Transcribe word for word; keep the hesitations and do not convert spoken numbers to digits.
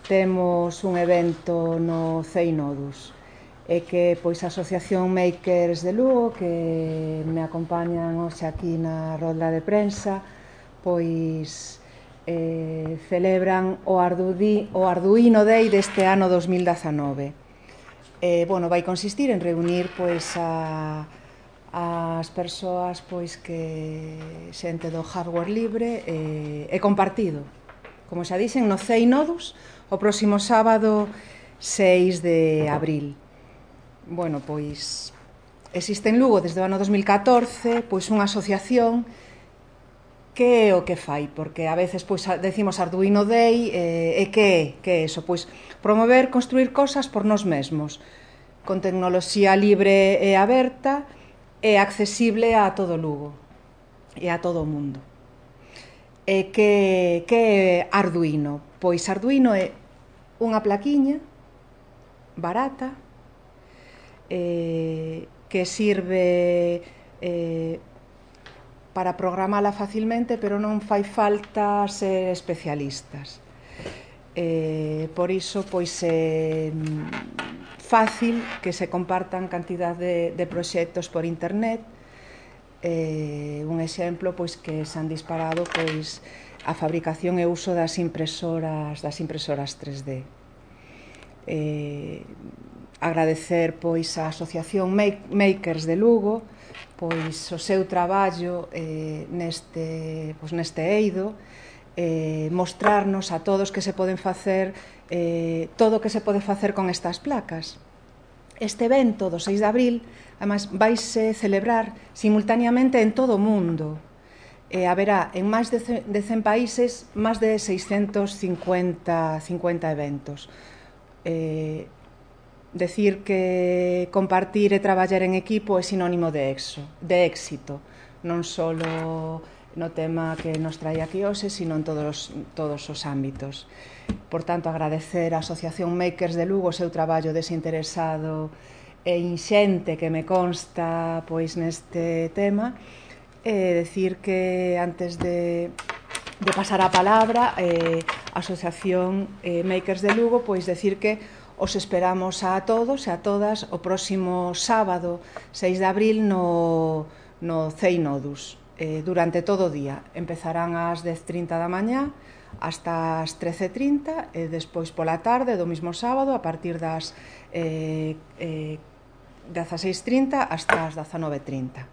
temos un evento no CEINODUS e que pois a Asociación Makers de Lugo, que me acompañan hoxe aquí na rolda de prensa, pois eh, celebran o, Ardudi, o Arduino Day deste ano dos mil dezanove. Eh, bueno, vai consistir en reunir pois a as persoas pois que xente do hardware libre e, e compartido, como xa dixen, no CEINODUS o próximo sábado seis de abril. Bueno, pois existe en Lugo desde o ano dos mil catorce pois unha asociación que é o que fai, porque a veces pois decimos Arduino Day e, e que é? Que é eso? Pois promover, construir cosas por nós mesmos, con tecnoloxía libre e aberta e accesible a todo Lugo e a todo o mundo. E que, que é Arduino? Pois Arduino é unha plaquiña barata eh, que sirve eh, para programala facilmente, pero non fai falta ser especialistas. Eh, por iso, pois é fácil que se compartan cantidad de, de proxectos por internet. Eh, un exemplo, pois que se han disparado pois a fabricación e uso das impresoras das impresoras tres D. Eh, agradecer pois a Asociación Makers de Lugo pois o seu traballo eh, neste, pois, neste eido, eh, mostrarnos a todos que se poden facer eh, todo o que se pode facer con estas placas. Este evento do seis de abril además vaise celebrar simultaneamente en todo o mundo. Eh, haberá en máis de cen países máis de seiscentos cincuenta eventos. Eh, decir que compartir e traballar en equipo é sinónimo de, exo, de éxito, non só no tema que nos trae aquí hoxe, sino en todos, todos os ámbitos. Por tanto, agradecer á Asociación Makers de Lugo o seu traballo desinteresado e inxente que me consta pois neste tema, e decir que antes de, de pasar a palabra eh, a Asociación eh, Makers de Lugo, pois decir que os esperamos a todos e a todas o próximo sábado seis de abril no, no CEINODUS eh, durante todo o día. Empezarán ás dez e trinta da mañá hasta as trece e trinta e despois pola tarde do mismo sábado a partir das eh, eh, dezaseis e trinta hasta as dezanove e trinta.